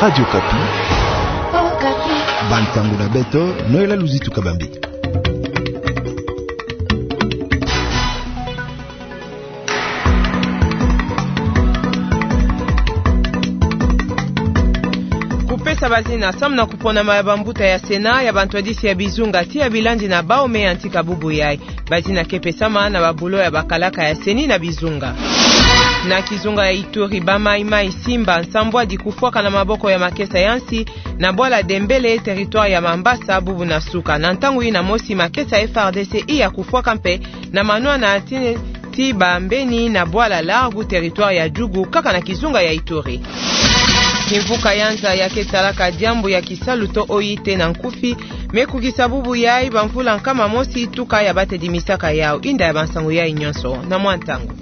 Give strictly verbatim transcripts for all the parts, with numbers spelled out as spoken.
Radio Okapi. Bansango na beto, Noëlla Luzitu Kabambi. Kupesa bazina samu na kuponama ya bambuta ya Sénat, ya bantwadisi ya bizunga ti ya bilandi na bawu me yantika bubu yayi. Bazina ke pesama na babulo ya bakalaka ya CENI na bizunga. Na kizunga ya Ituri, ba Maï-Maï Simba nsambwadi kufwaka na maboko ya makesa ya nsi na bwala Dembélé, territoire ya Mambasa, bubu na suka. Na ntangu yina mosi, makesa ya F R D C iya kufwaka mpe na manwana ti, ti bambeni na bwala Largo, territoire ya Djugu, kaka na kizunga ya Ituri. Kimvuka ya nza ya ke talaka diambu ya kisalu to O I T na nkufi, me kukisa bubu yayi bamvula nkama mosi tuka ya batedimisaka yawu. Inda ya bansango yayi nyonso na mwa ntangu.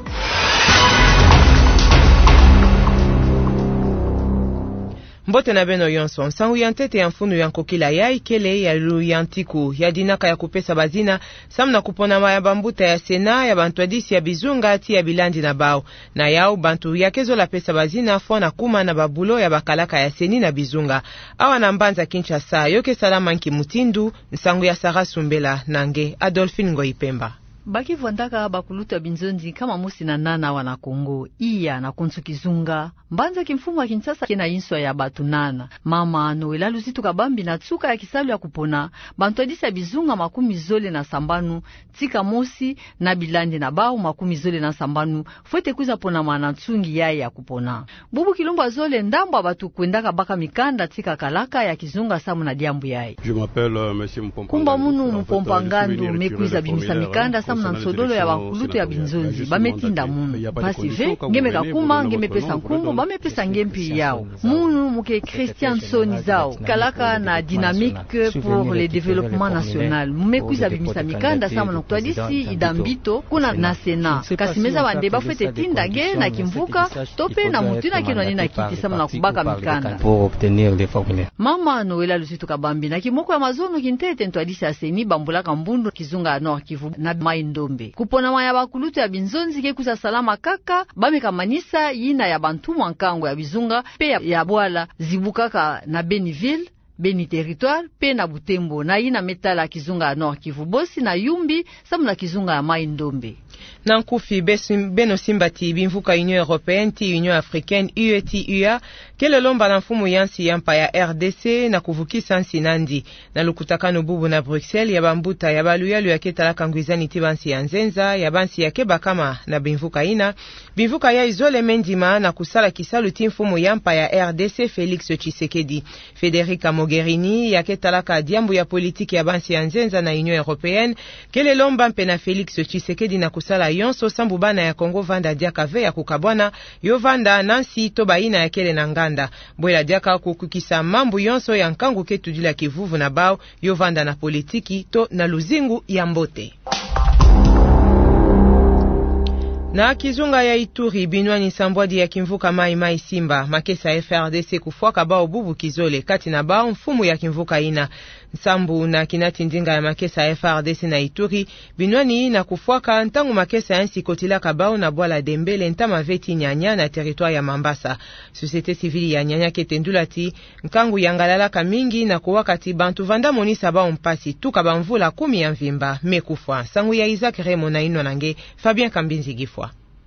Mbote na beno yonso. Nsangu ya ntete ya mfunu ya nkokila yayi kele ya luyantiku ya dinaka ya kupesa bazina samu na kuponama ya bambuta ya Sénat, ya bantwadisi ya bizunga ti ya bilandi na bawu. Na yawu, bantu ya ke zola pesa bazina fwana kuma na babulo ya bakalaka ya CENI na bizunga. Awa na mbanza Kinshasa, yo ke salama nki mutindu? Nsangu ya Sarah Sumbela na nge Adolphine Ngoyi Pemba. Ba ke vwandaka bakulutu ya binzonzi nkama mosi na nana awa na Congo, iya na konso kizunga. Mbanza kimfumu ya Kinshasa ke na inswa ya batu nana. Mama Noëlla Luzitu Kabambi, na nsuka ya kisalu ya kupona, bantwadisi ya bizunga makumi zole na sambanu, tika mosi na bilandi na bawu makumi zole na sambanu, fwete kwiza ponama na nsungi yayi ya kupona. Bubu kilumbu ya zole, ndambu ya batu kwendaka baka mikanda tika kalaka ya kizunga samu na diambu yayi. Je m'appelle, euh, monsieur Mupompangando. Nkumbu ya munu Mupompangando, me kwiza bimisa mikanda samu na nsodolo ya bakulutu ya binzonzi. Ba me tinda munu. Mpasi ve, nge me kakuma, nge me pesa nkumbu, ba me pesa nge mpi yawu. Munu mu ke Christian Nsoni Zau, kalaka na Dynamique pour le Développement National. Me kwiza bimisa mikanda samu na kutwadisi ida mbito kuna na Sénat. Kasi me zaba nde ba fwete tinda nge na kimvuka, to mpe na mutu yina ke nwani na kiti samu na kubaka mikanda. Pour obtenir les formulaires. Mama Noëlla Luzitu Kabambi, na kimoko ya mazono kintete, ntwadisi ya CENI bambulaka mbundu kizunga ya Nord-Kivu na Maï-Ndombe. Kuponama ya bakulutu ya binzonzi ke kwiza salama kaka, ba me kamanisa yina ya bantumwa nkangu ya bizunga mpe ya, ya bwala zibukaka na Beni-Ville, Beni-Territoire, mpe na Butembo, na yina me tala kizunga ya Nord-Kivu bosi na Yumbi, samu na kizunga ya Maï-Ndombe. Na nkufi, besim-, beno simba ti bimvuka Union Européenne ti Union Africaine, U E ti U A, kele lomba na mfumu ya nsi ya mpa ya R D C na kuvukisa nsi nandi. Na lukutakanu bubu na Bruxelles ya bambuta ya baluyalu ya ke talaka ngwizani ti bansi ya nzenza, ya bansi ya ke bakama na bimvuka yina, bimvuka yayi zole me ndima na kusala kisalu ti mfumu ya mpa ya R D C Félix Tshisekedi. Federica Mogherini, ya ke talaka diambu ya politiki ya bansi ya nzenza na Union Européenne, kele lomba mpe na Félix Tshisekedi na kusala yonso sambu bana ya Congo vanda diaka ve ya kukabwana, yo vanda na nsi to bayina ya kele na nganda. Bwela diaka kukukisa mambu yonso ya nkangu ke tudila kivuvu na bawu, yo vanda na politiki to na luzingu ya mbote. Na kizunga ya Ituri, binwani nsambwadi ya kimvuka Maï-Maï Simba, makesa ya F R D C kufwaka bawu bubu kizole, kati na bawu mfumu ya kimvuka yina. Sambu na kinati ndinga ya makesa ya F R D C na Ituri, binwani yina kufwaka ntangu makesa ya nsi kotilaka bawu na bwala Dembélé ntama ve ti Niania na territoire ya Mambasa. Société civile ya Niania ke tendula ti nkangu yangalalaka mingi na kuwaka ti bantu vanda monisa bawu mpasi tuka bamvula kumi ya mvimba me kufwa. Nsangu ya Isaac Remo na inwa na nge Fabien Kambinzi Gifwa.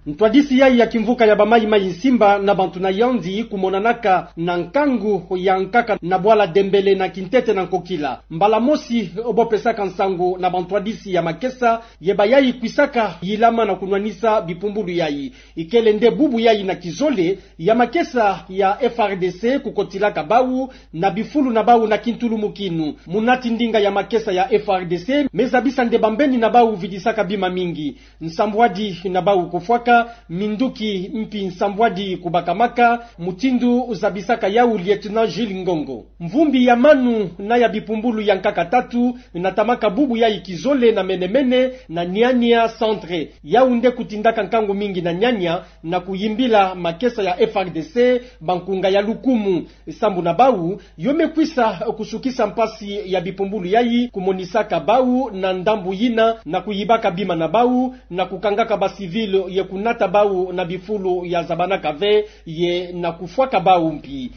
Ntwadisi yayi ya kimvuka ya ba Maï-Maï Simba na bantu na yandi kumonanaka na nkangu ya nkaka na bwala Dembélé na kintete na nkokila. Mbala mosi bo pesaka nsangu na bantwadisi ya makesa, ye bayayi kwisaka yilama na kunwanisa bipumbulu yayi. Ikele nde bubu yayi na kizole ya makesa ya F R D C kukotilaka bawu na bifulu na bawu na kintulumukinu. Munati ndinga ya makesa ya F R D C me zabisa nde bambeni na bawu vidisaka bima mingi. Nsambwadi na bawu kufwaka, minduki mpi nsambwadi kubakamaka, mutindu zabisaka yawu Lieutenant Gilles Ngongo. Mvumbi ya manu na ya bipumbulu ya nkaka tatu natamaka bubu yayi kizole na mene-mene na Niania Centre. Yawu nde kutindaka nkangu mingi na Niania na kuyimbila makesa ya F R D C bankunga ya lukumu. Sambu na bawu, yo me kwisa kusukisa mpasi ya bipumbulu yayi, kumonisaka bawu na ndambu yina na kuyibaka bima na bawu, na kukangaka ba civil ye kunata bawu na bifulu ya zabanaka ve, ye na kufwaka bawu mpi.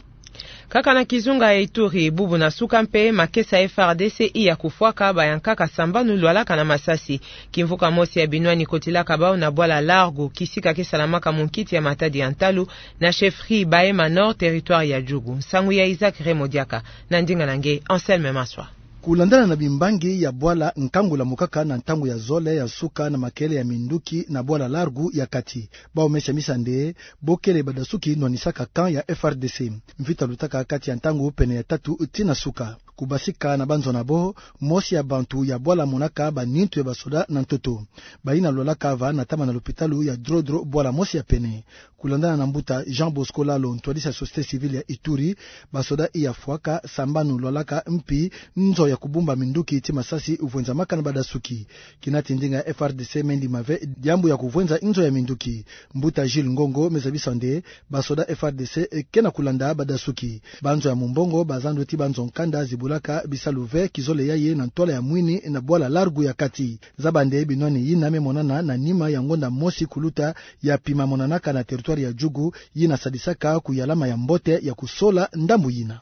Kaka na kizunga ya Ituri, bubu na suka mpe makesa ya F R D C iya kufwaka bayankaka sambanu lwalaka na masasi. Kimvuka mosi ya binwani kotilaka bau na bwala Largo, kisika ke salamaka munkiti ya matadi ya ntalu, na chefferie Bahema Nord, territoire ya Djugu. Nsangu ya Isaac Raymond Diaka, na ndinga na nge Anselme Maswa. Kulandana na bimbangi ya bwala, nkangu lamukaka na ntangu ya zole ya nsuka na makele ya minduki na bwala Largo ya kati. Bau mesi ya misande, bokele badasuki nwanisaka camp ya F R D C. Mvita lutaka kati ya ntangu pene ya tatu tii na suka. Kubasika na banzo na bo, mosi ya bantu ya bwala monaka banintu ya basoda na ntoto. Bayina lwalaka va natama na lopitalu ya Drodro, bwala mosi ya pene. Kulandana na mbuta Jean Bosco Lalo, ntwadisi ya société civile ya Ituri, basoda iya fwaka sambanu lwalaka mpi nzo ya kubumba minduki tii masasi vwenzamaka na badasuki. Kina ti ndinga ya F R D C me ndima ve diambu ya kuvwenza nzo ya minduki. Mbuta Jules Ngongo me zabisa nde basoda F R D C ke na kulanda badasuki. Banzo ya mumbongo bazando ti banzo nkanda zibulaka bisalu ve kizole yayi na ntwala ya mwini na bwala Largo ya kati. Zaba nde binwani yina me monana na nima ya ngonda mosi kuluta ya pima monanaka na territoire ya Djugu, yina sadisaka kuyalama ya mbote ya kusola ndambu yina.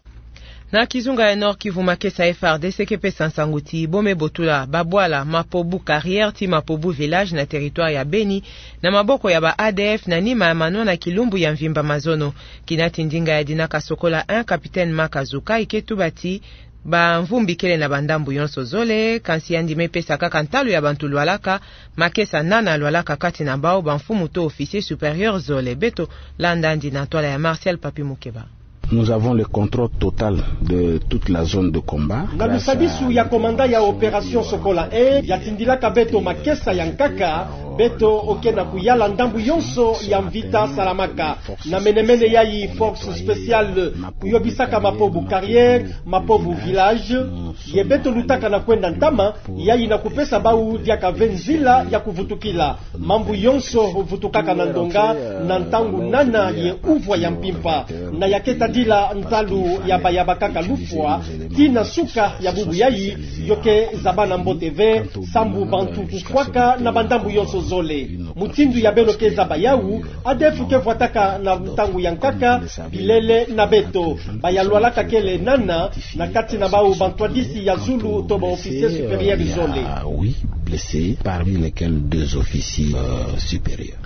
Na kizunga ya Nord-Kivu, makesa F R D C ke pesa nsangu ti bo me botula babwala Mapobu Carrière tii Mapobu Village na territoire ya Beni na maboko ya ba A D F na nima ya manona kilumbu ya mvimba mazono. Kina ti ndinga ya dinaka Sokola un, capitaine Maka Zukai ke tuba ti bamvumbi kele na bandambu yonso zole, kansi yandi me pesa kaka ntalu ya bantu lwalaka, makesa nana lwalaka kati na bau bamfumu to officier supérieur zole. Beto landa yandi na ntwala ya Martial Papi Mukeba. Nous avons le contrôle total de toute la zone de combat. Na lusadisu ya komanda ya opération Sokola un, ya tindilaka beto makesa ya nkaka, beto oke na kuyala ndambu yonso ya mvita salamaka. Na menemene yayi, force spéciale kuyobisaka Mapobu Carrière, Mapobu Village, ye beto lutaka na kwenda ntama, yayi na kupesa bau diaka ve nzila ya kuvutukila. Mambu yonso vutukaka na ndonga, na ntangu nana ye uvwa ya mpimpa. Na ya ke tadila ntalu ya baya bakaka lufwa, tii na nsuka ya bubu yayi, yo ke zabana mbote ve, sambu bantu kufwaka na bandambu yonso zole. Mutindu ya beno ke zaba yawu, A D F ke vwataka na ntangu ya nkaka bilele na beto. Baya lwalaka kele nana, na kati na bau bantwadisi ya zulu to ba officier supérieur zole. Ah oui, blessés, parmi lesquels deux officiers, euh, supérieurs.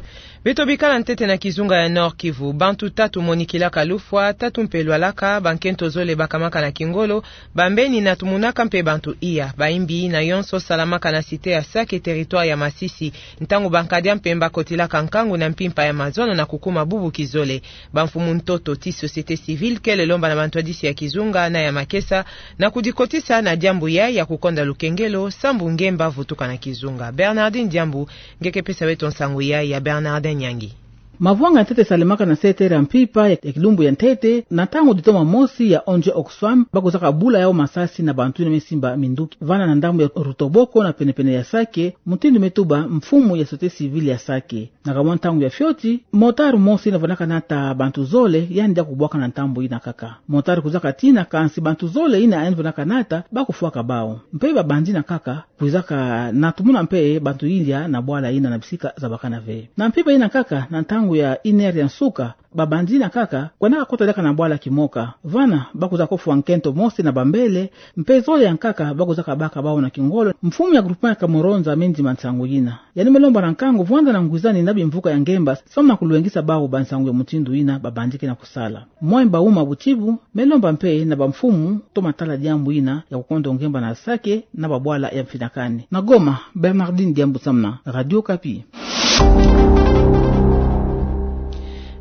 Beto bikala ntete na kizunga ya Nord-Kivu, bantu tatu monikilaka lufwa, tatu mpe lwalaka, bankento zole bakamaka na kingolo, bambeni na tumunaka mpe bantu iya. Bayimbi yina yonso salamaka na cité ya Sake, territoire ya Masisi, ntangu bankadia mpemba kotilaka nkangu na mpimpa ya mazono na kukuma bubu kizole. Bamfumu ntoto tii société civile kele lomba na bantwadisi ya kizunga na ya makesa na kudikotisa na diambu yayi ya kukonda lukengelo, sambu ngemba vutuka na kizunga. Bernardine Diambu nge ke pesa beto nsangu yayi. Ya Bernardin Nyangi. Mavwanga ya ntete salemaka na sept heures ya mpimpa ya, ya kilumbu ya ntete, na ntangu ditoma mosi ya onze Oxfam, ba kwizaka bula yau masasi na bantu yina me simba minduki vana na ndambu ya Rutoboko na penepene ya Sake, mutindu me tuba mfumu ya société civile ya Sake. Na kamwa ntangu ya fioti, motard mosi yina vwandaka nata bantu zole, yandi ya kubwaka na ntambu yina kaka. Motard kwizaka tina, kansi bantu zole yina yandi vwandaka nata, ba kufwaka bau. Mpe babandi yina kaka kwizaka na tumuna mpe bantu yindia na bwala yina na bisika zabakana ve. Na mpimpa yina kaka, na ntangu ya une heure ya nsuka, babandi yina kaka kwendaka kota diaka na bwala kimoka. Vana, ba kwizaka kofwa nkento mosi na bambele, mpe zole ya nkaka ba kwizaka baka bau na kingolo. Mfumu ya groupement ya Kamuronza me ndima nsangu yina. Yandi me lomba na nkangu vwanda na ngwizani na bimvuka ya ngemba, samu na kulwengisa bau bansangu ya mutindu yina babandi ke na kusala. Mwemba Uma Butibu me lomba mpe na bamfumu to matala diambu yina ya kukondo ngemba na Sake na babwala ya mfinakani. Na Goma, Bernardine Diambu Samna, Radio Okapi.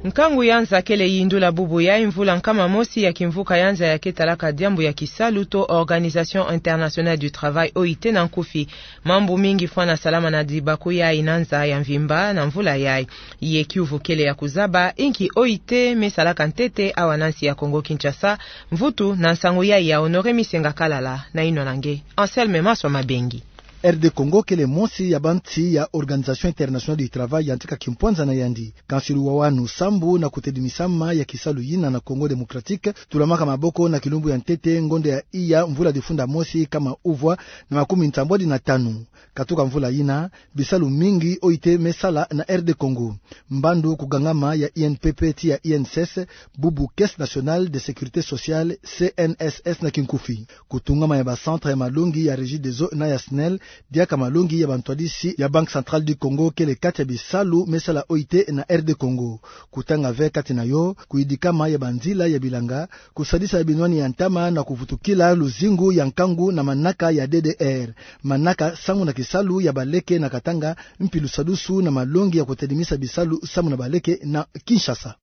Nkangu ya nza kele yindula bubu yayi mvula nkama mosi ya kimvuka ya nza ya ke talaka diambu ya kisalu to Organisation Internationale du Travail, O I T na nkufi. Mambu mingi fwana salama na dibaku yayi na nza ya mvimba na mvula yayi. Ye kiuvu kele ya kuzaba inki O I T me salaka ntete awa na nsi ya Kongo-Kinshasa. Mvutu na nsangu yayi ya Honoré Misenga Kalala, na yinwa na nge Anselme Maswa Mabengi. RD Congo kele mosi ya bansi ya Organisation Internationale du Travail yantika kimpwanza na yandi. Kansi luwawanu sambu na kutedimisama ya kisalu yina na Congo Démocratique, tulamaka maboko na kilumbu ya ntete ngonde ya iya mvula difunda mosi kama uvwa na makumi nsambwadi na tanu. Katuka mvula yina, bisalu mingi oite mesala na RD Congo. Mbandu kugangama ya INPP tii ya INSS, bubu Caisse Nationale de Sécurité Sociale, CNSS na kinkufi. Kutungama ya ba centre ya malongi ya Regideso na ya SNEL, diaka malongi ya bantwadisi ya Banque Centrale du Congo kele kati ya bisalu mesala oite na RD Congo. Kutanga ve kati na yo, kuyidikama ya banzila ya bilanga, kusadisa binwani ya ntama na kuvutukila luzingu ya nkangu na manaka ya DDR. Manaka samu na kisalu ya baleke na Katanga, mpi lusadusu na malongi ya kutedimisa bisalu samu na baleke na Kinshasa.